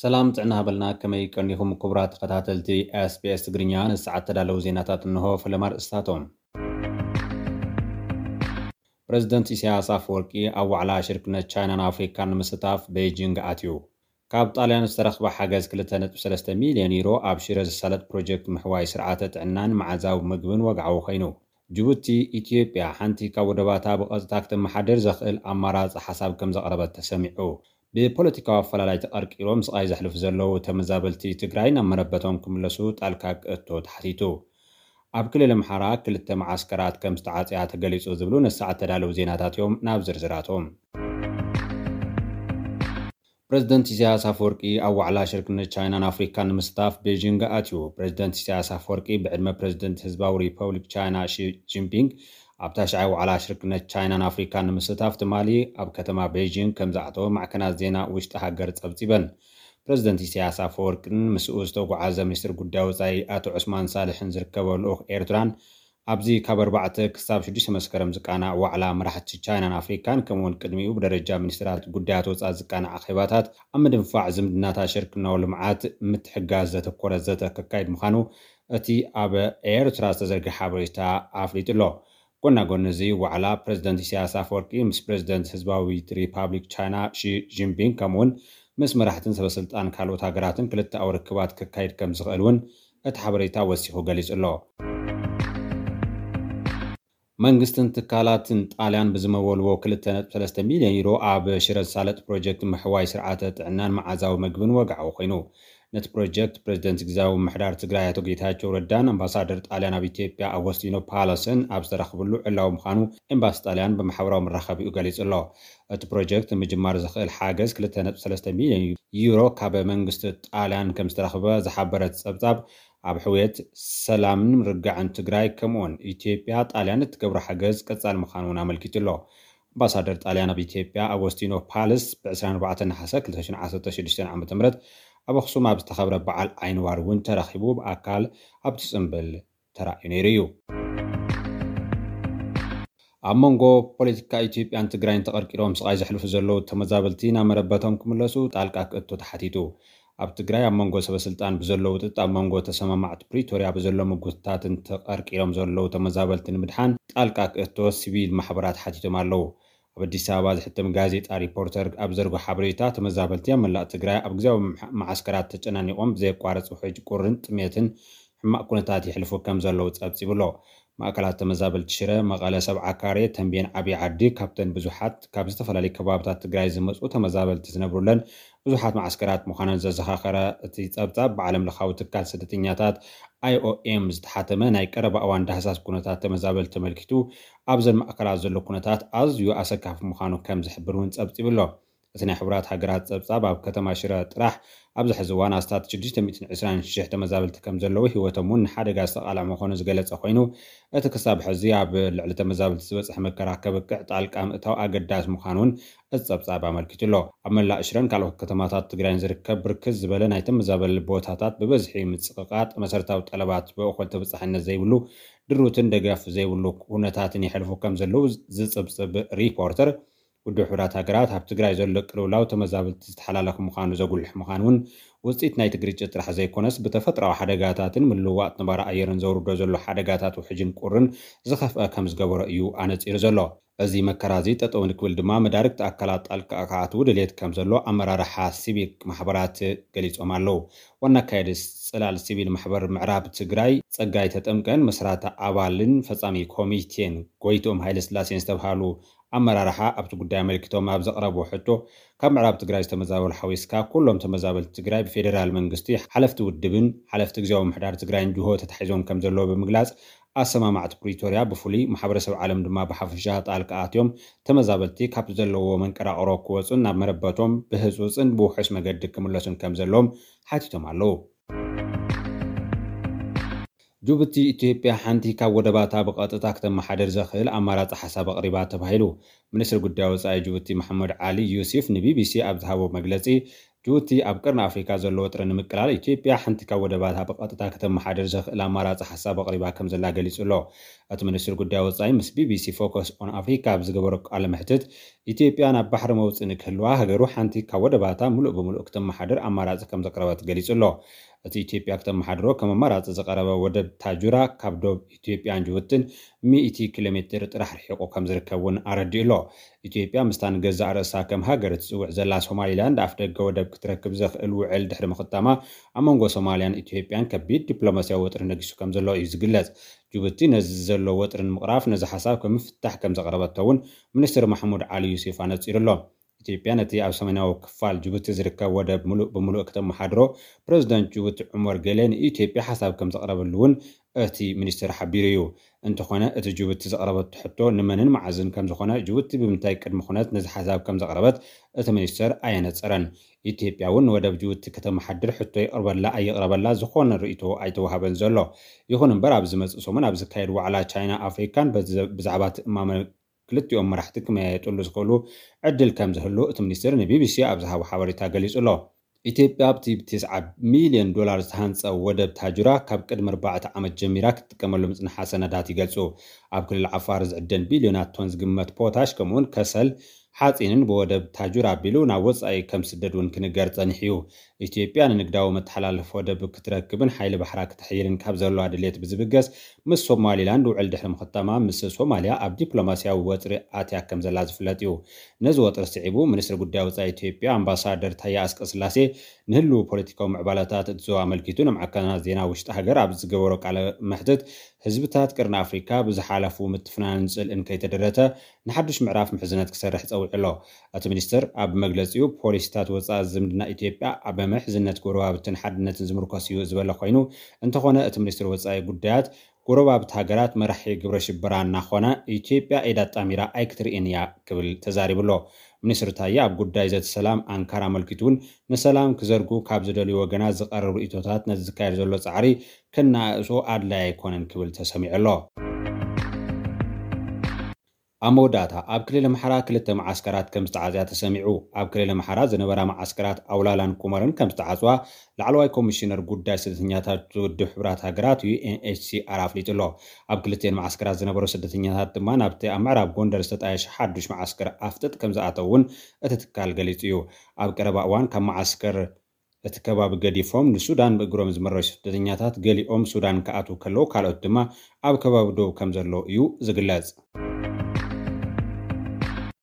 ሰላም ጥዕና ሃበልና፣ ከመይ ቀኒኹም ክቡራት ተኸታተልቲ ኤስቢኤስ ትግርኛ? ንሰዓት ተዳለዉ ዜናታት እንሆ። ፈለማ ኣርእስታቶም። ፕረዚደንት ኢሳያስ ኣፈወርቂ ኣብ ዋዕላ ሽርክነት ቻይናን ኣፍሪካን ንምስታፍ ቤይጂንግ ኣትዩ። ካብ ጣልያን ዝተረኽበ ሓገዝ ክልተ ነጥቢ ሰለስተ ሚልዮን ዩሮ ኣብ ሽረ ዝሳለጥ ፕሮጀክት ምሕዋይ ስርዓተ ጥዕናን መዓዛዊ ምግብን ወግዓዊ ኮይኑ። ጅቡቲ፣ ኢትዮጵያ ሓንቲ ካብ ወደባታ ብቐጥታ ክተመሓድር ዘኽእል ኣማራጺ ሓሳብ ከም ዘቕረበት ተሰሚዑ። ብፖለቲካዊ ኣፈላላይ ተቐርቂሮም ስቓይ ዘሕልፉ ዘለዉ ተመዛበልቲ ትግራይ ናብ መረበቶም ክምለሱ ጣልቃ ክእቶ ተሓቲቱ። ኣብ ክልል ኣምሓራ ክልተ መዓስከራት ከም ዝተዓጽያ ተገሊጹ ዝብሉ ንሰዓት ተዳለዉ ዜናታት እዮም። ናብ ዝርዝራቶም። ፕረዚደንት ኢሳያስ ኣፈወርቂ ኣብ ዋዕላ ሽርክነት ቻይናን ኣፍሪካን ንምስታፍ ቤጂንግ ኣትዩ። ፕረዚደንት ኢሳያስ ኣፈወርቂ ብዕድመ ፕረዚደንት ህዝባዊ ሪፐብሊክ ቻይና ሺ ጂንፒንግ ኣብ ታሽዓይ ዋዕላ ሽርክነት ቻይናን ኣፍሪካን ንምስታፍ ትማሊ ኣብ ከተማ ቤጂንግ ከም ዝኣተወ ማዕከናት ዜና ውሽጢ ሃገር ጸብጺበን። ፕረዚደንት ኢሳያስ ኣፈወርቅን ምስኡ ዝተጓዓዘ ሚኒስትር ጉዳይ ወጻኢ ኣቶ ዑስማን ሳልሕን ዝርከቦ ልኡኽ ኤርትራን ኣብዚ ካብ ኣርባዕተ ክሳብ ሽዱሽተ መስከረም ዝቃናዕ ዋዕላ መራሕቲ ቻይናን ኣፍሪካን ከምኡውን ቅድሚኡ ብደረጃ ሚኒስትራት ጉዳያት ወጻኢ ዝቃናዕ ኣኼባታት ኣብ ምድንፋዕ ዝምድናታት ሽርክናዊ ልምዓት ምትሕጋዝ ዘተኮረ ዘተ ከካይድ ምዃኑ እቲ ኣብ ኤርትራ ዝተዘርግሐ ሓበሬታ ኣፍሊጡ ኣሎ። ጎና ጎኒ እዚ ዋዕላ ፕረዚደንት ኢሳያስ ኣፈወርቂ ምስ ፕረዚደንት ህዝባዊት ሪፓብሊክ ቻይና ሺ ጂንፒንግ ከምኡውን ምስ መራሕትን ሰበስልጣን ካልኦት ሃገራትን ክልተኣዊ ርክባት ከካይድ ከም ዝኽእል እውን እቲ ሓበሬታ ወሲኹ ገሊጹ ኣሎ። መንግስትን ትካላትን ጣልያን ብዝመወልዎ ክልተ ነጥቢ ሰለስተ ሚልዮን ዩሮ ኣብ ሽረ ዝሳለጥ ፕሮጀክት ምሕዋይ ስርዓተ ጥዕናን መዓዛዊ ምግብን ወግዓዊ ኮይኑ። ነቲ ፕሮጀክት ፕረዚደንት ግዝያዊ ምምሕዳር ትግራይ ኣቶ ጌታቸው ረዳን ኣምባሳደር ጣልያን ኣብ ኢትዮጵያ ኣጎስቲኖ ፓላስን ኣብ ዝተረኽብሉ ዕላዊ ምዃኑ ኤምባሲ ጣልያን ብማሕበራዊ መራኸቢኡ ገሊጹ ኣሎ። እቲ ፕሮጀክት ንምጅማር ዘኽእል ሓገዝ ክልተ ነጥቢ ሰለስተ ሚልዮን ዩሮ ካብ መንግስቲ ጣልያን ከም ዝተረኽበ ዝሓበረ እቲ ጸብጻብ፣ ኣብ ሕውየት ሰላምን ምርግጋዕን ትግራይ ከምኡውን ኢትዮጵያ ጣልያን እትገብሮ ሓገዝ ቀጻሊ ምዃኑ እውን ኣመልኪቱ ኣሎ። ኣምባሳደር ጣልያን ኣብ ኢትዮጵያ ኣጎስቲኖ ፓልስ ብ ዕስራን ኣርባዕተን ነሓሰ ክልተ ሽሕን ዓሰርተ ሽዱሽተን ዓመተ ምህረት ኣብ ኣኽሱም ኣብ ዝተኸብረ በዓል ዓይንዋር እውን ተረኺቡ ብኣካል ኣብቲ ጽምብል ተራእዩ ነይሩ እዩ። ኣብ መንጎ ፖለቲካ ኢትዮጵያን ትግራይን ተቐርቂሮም ስቓይ ዘሕልፉ ዘለዉ ተመዛበልቲ ናብ መረበቶም ክምለሱ ጣልቃ ክእቶ ተሓቲቱ። ኣብ ትግራይ ኣብ መንጎ ሰበስልጣን ብዘሎ ውጥጥ ኣብ መንጎ ተሰማማዕቲ ፕሪቶርያ ብዘሎ ምጉትታትን ተቐርቂሮም ዘለዉ ተመዛበልቲ ንምድሓን ጣልቃ ክእቶ ሲቪል ማሕበራት ሓቲቶም ኣለዉ። ኣብ ኣዲስ ኣበባ ዝሕተም ጋዜጣ ሪፖርተር ኣብ ዘርጎ ሓበሬታ ተመዛበልቲ ኣብ መላእ ትግራይ ኣብ ግዜያዊ መዓስከራት ተጨናኒቖም ብዘየቋርጽ ውሕጅ ቁርን ጥሜትን ሕማቕ ኩነታት ይሕልፉ ከም ዘለዉ ጸብጺቡ ኣሎ። ማእከላት ተመዛበልቲ ሽረ፣ መቐለ፣ ሰብዓ ካሬ፣ ተንቤን፣ ዓብዪ ዓዲ ካብተን ብዙሓት ካብ ዝተፈላለዩ ከባብታት ትግራይ ዝመጹ ተመዛበልቲ ዝነብሩለን ብዙሓት መዓስከራት ምዃነን ዘዘኻኸረ እቲ ጸብጻብ ብዓለም ለኻዊ ትካል ስደተኛታት ኣይኦኤም ዝተሓተመ ናይ ቀረባ እዋን ዳህሳስ ኩነታት ተመዛበልቲ ተመልኪቱ ኣብዘን ማእከላት ዘሎ ኩነታት ኣዝዩ ኣሰካፊ ምዃኑ ከም ዝሕብር እውን ጸብጺቡ ኣሎ። እቲ ናይ ሕቡራት ሃገራት ጸብጻብ ኣብ ከተማ ሽረ ጥራሕ ኣብዚ ሕዚ እዋን ኣስታት ሽዱሽተ ሚእትን ዕስራን ሽሕ ተመዛበልቲ ከም ዘለዉ ህይወቶም እውን ንሓደጋ ዝተቓልዐ ምዃኑ ዝገለጸ ኮይኑ እቲ ክሳብ ሕዚ ኣብ ልዕሊ ተመዛበልቲ ዝበጽሐ መከራ ከብቅዕ ጣልቃ ምእታው ኣገዳሲ ምዃኑ እውን እቲ ጸብጻብ ኣመልኪቱ ኣሎ። ኣብ መላእ ሽረን ካልኦት ከተማታት ትግራይን ዝርከብ ብርክት ዝበለ ናይ ተመዛበሊ ቦታታት ብበዝሒ ምጽቕቓጥ መሰረታዊ ጠለባት ብእኹል ተበጻሕነት ዘይብሉ ድሩትን ደገፍ ዘይብሉ ኩነታትን የሕልፉ ከም ዘለዉ ዝጽብጽብ ሪፖርተር ውድብ ሕቡራት ሃገራት ኣብ ትግራይ ዘሎ ቅልውላው ተመዛበልቲ ዝተሓላለኸ ምዃኑ ዘጉልሕ ምዃኑ እውን ውፅኢት ናይቲ ግርጭት ጥራሕ ዘይኮነስ ብተፈጥራዊ ሓደጋታትን ምልውዋጥ ነባሪ ኣየርን ዘውርዶ ዘሎ ሓደጋታት ውሕጅን ቁርን ዝኸፍአ ከም ዝገበሮ እዩ ኣነፂሩ ዘሎ። እዚ መከራ እዚ ጠጠው ንክብል ድማ መዳርግቲ ኣካላት ጣልቃ ክኣትዉ ድሌት ከም ዘሎ ኣመራርሓ ሲቪክ ማሕበራት ገሊፆም ኣለዉ። ዋና ኣካየዲ ፅላል ሲቪል ማሕበር ምዕራብ ትግራይ ፀጋይ ተጠምቀን መስራቲ ኣባልን ፈፃሚ ኮሚቴን ጎይትኦም ሃይለስላሴን ዝተብሃሉ ኣመራርሓ ኣብቲ ጉዳይ ኣመልኪቶም ኣብ ዘቕረብዎ ሕቶ ካብ ምዕራብ ትግራይ ዝተመዛበሉ ሓዊስካ ኩሎም ተመዛበልቲ ትግራይ ብፌዴራል መንግስቲ ሓለፍቲ ውድብን ሓለፍቲ ግዝያዊ ምምሕዳር ትግራይን ጅሆ ተታሒዞም ከም ዘለዉ ብምግላፅ ኣሰማማዕቲ ፕሪቶርያ ብፍሉይ ማሕበረሰብ ዓለም ድማ ብሓፈሻ ጣልቃ ኣትዮም ተመዛበልቲ ካብቲ ዘለውዎ መንቀራቕሮ ክወፁን ናብ መረበቶም ብህፁፅን ብውሑስ መገዲ ክምለሱን ከም ዘለዎም ሓቲቶም ኣለዉ። ጅቡቲ ኢትዮጵያ ሓንቲ ካብ ወደባታ ብቐጥታ ክተመሓደር ዘኽእል ኣማራፂ ሓሳብ ኣቕሪባ ተባሂሉ። ሚኒስትሪ ጉዳይ ወፃኢ ጅቡቲ መሓመድ ዓሊ ዩሲፍ ንቢቢሲ ኣብ ዝሃቦ መግለፂ ጅቡቲ ኣብ ቀርኒ ኣፍሪካ ዘሎ ወጥሪ ንምቅላል ኢትዮጵያ ሓንቲ ካብ ወደባታ ብቐጥታ ከተመሓድር ዘኽእል ኣማራፂ ሓሳብ ኣቕሪባ ከም ዘላ ገሊጹ ኣሎ። እቲ ሚኒስትር ጉዳይ ወፃኢ ምስ ቢቢሲ ፎከስ ኦን ኣፍሪካ ኣብ ዝገበሮ ቃለ መሕትት፣ ኢትዮጵያ ናብ ባሕሪ መውፅኢ ንክህልዋ ሃገሩ ሓንቲ ካብ ወደባታ ሙሉእ ብሙሉእ ክተመሓድር ኣማራፂ ከም ዘቕረበት ገሊጹ ኣሎ። እቲ ኢትዮጵያ ክተመሓድሮ ከም ኣማራፂ ዝቐረበ ወደብ ታጁራ ካብ ዶብ ኢትዮጵያን ጅቡትን ሚእቲ ኪሎ ሜትር ጥራሕ ርሒቑ ከም ዝርከብ እውን ኣረዲኡ ኣሎ። ኢትዮጵያ ምስታ ንገዛእ ርእሳ ከም ሃገር እትጽውዕ ዘላ ሶማሊላንድ ኣፍ ደገ ወደብ ክትረክብ ዘኽእል ውዕል ድሕሪ ምኽታማ ኣብ መንጎ ሶማሊያን ኢትዮጵያን ከቢድ ዲፕሎማስያዊ ወጥሪ ነጊሱ ከም ዘሎ እዩ ዝግለጽ። ጅቡቲ ነዚ ዘሎ ወጥሪ ንምቕራፍ ነዚ ሓሳብ ከም ምፍታሕ ከም ዘቕረበቶ እውን ሚኒስትር ማሕሙድ ዓሊ ዩሱፍ ኣነጺሩ ኣሎ። ኢትዮጵያ ነቲ ኣብ ሰሜናዊ ክፋል ጅቡቲ ዝርከብ ወደብ ሙሉእ ብምሉእ ክተመሓድሮ ፕረዚደንት ጅቡቲ ዑመር ገሌ ንኢትዮጵያ ሓሳብ ከም ዘቕረበሉ እውን እቲ ሚኒስትር ሓቢሩ እዩ። እንተኾነ እቲ ጅቡቲ ዘቕረበቶ ሕቶ ንመንን መዓዝን ከም ዝኾነ ጅቡቲ ብምንታይ ቅድሚ ኩነት ነዚ ሓሳብ ከም ዘቕረበት እቲ ሚኒስትር ኣየነጸረን። ኢትዮጵያ እውን ንወደብ ጅቡቲ ከተመሓድር ሕቶ ይቕርበላ ኣይቕረበላ ዝኾነ ርእይቶ ኣይተዋሃበን ዘሎ። ይኹን እምበር ኣብ ዝመጽእ ሰሙን ኣብ ዝካየድ ዋዕላ ቻይና ኣፍሪካን በዚ- ብዛዕባ እቲ እማመ ክልቲኦም መራሕቲ ክመያየጥሉ ዝኽእሉ ዕድል ከም ዝህሉ እቲ ሚኒስትር ንቢቢሲ ኣብ ዝሃቦ ሓበሬታ ገሊጹ ኣሎ። ኢትዮጵያ ኣብቲ ብ9 ሚልዮን ዶላር ዝተሃንጸ ወደብ ታጁራ ካብ ቅድሚ ኣርባዕተ ዓመት ጀሚራ ክትጥቀመሉ ምጽንሓ ሰነዳት ይገልጹ። ኣብ ክልል ዓፋር ዝዕደን ቢልዮናት ቶን ዝግመት ፖታሽ ከምኡውን ከሰል ሓጺንን ብወደብ ታጁራ ኣቢሉ ናብ ወጻኢ ከም ዝስደድ እውን ክንገር ጸኒሑ እዩ። ኢትዮጵያ ንንግዳዊ መተሓላለፊ ወደብ ክትረክብን ሓይሊ ባሕራ ክተሕይልን ካብ ዘለዋ ድሌት ብዝብገስ ምስ ሶማሊላንድ ውዕል ድሕሪ ምኽታማ ምስ ሶማሊያ ኣብ ዲፕሎማስያዊ ወጥሪ ኣትያ ከም ዘላ ዝፍለጥ እዩ። ነዚ ወጥሪ ስዒቡ ሚኒስትሪ ጉዳይ ወጻኢ ኢትዮጵያ ኣምባሳደር ታየ ኣስቀስላሴ ንህልው ፖለቲካዊ ምዕባለታት እቲ ዞባ ኣመልኪቱ ንማዕከናት ዜና ውሽጢ ሃገር ኣብ ዝገበሮ ቃለ መሕትት ህዝብታት ቅርኒ ኣፍሪካ ብዝሓለፉ ምትፍናንን ጽልእን ከይተደረተ ንሓዱሽ ምዕራፍ ምሕዝነት ክሰርሕ ጸዊዑ ኣሎ። እቲ ሚኒስትር ኣብ መግለጺኡ ፖሊሲታት ወጻኢ ዝምድና ኢትዮጵያ ኣብ ምሕዝነት ጎረባብትን ሓድነትን ዝምርኮስ እዩ ዝበለ ኮይኑ እንተኾነ እቲ ሚኒስትር ወጻኢ ጉዳያት ጎረባብቲ ሃገራት መራሒ ግብረ ሽበራ እናኾነ ኢትዮጵያ ኢዳ ኣጣሚራ ኣይክትርእን እያ ክብል ተዛሪቡ ኣሎ። ሚኒስትር ታየ ኣብ ጉዳይ ዘተ ሰላም ኣንካራ ኣመልኪቱ እውን ንሰላም ክዘርጉ ካብ ዝደልዩ ወገናት ዝቐርብ ርእይቶታት ነዚ ዝካየድ ዘሎ ጻዕሪ ከነኣእሶ ኣድላይ ኣይኮነን ክብል ተሰሚዑ ኣሎ። ኣብ መወዳእታ ኣብ ክልል ኣምሓራ ክልተ መዓስከራት ከም ዝተዓጽያ ተሰሚዑ። ኣብ ክልል ኣምሓራ ዝነበራ መዓስከራት ኣውላላን ኩመርን ከም ዝተዓጽዋ ላዕለዋይ ኮሚሽነር ጉዳይ ስደተኛታት ውድብ ሕቡራት ሃገራት ዩ ኤን ኤች ሲ ኣር ኣፍሊጡ ኣሎ። ኣብ ክልቲኤን መዓስከራት ዝነበሩ ስደተኛታት ድማ ናብቲ ኣብ ምዕራብ ጎንደር ዝተጣየሸ ሓዱሽ መዓስከር ኣፍጥጥ ከም ዝኣተው እውን እቲ ትካል ገሊጹ እዩ። ኣብ ቀረባ እዋን ካብ መዓስከር እቲ ከባቢ ገዲፎም ንሱዳን ብእግሮም ዝመረሹ ስደተኛታት ገሊኦም ሱዳን ክኣትዉ ከለዉ ካልኦት ድማ ኣብ ከባቢ ዶብ ከም ዘለዉ እዩ ዝግለጽ።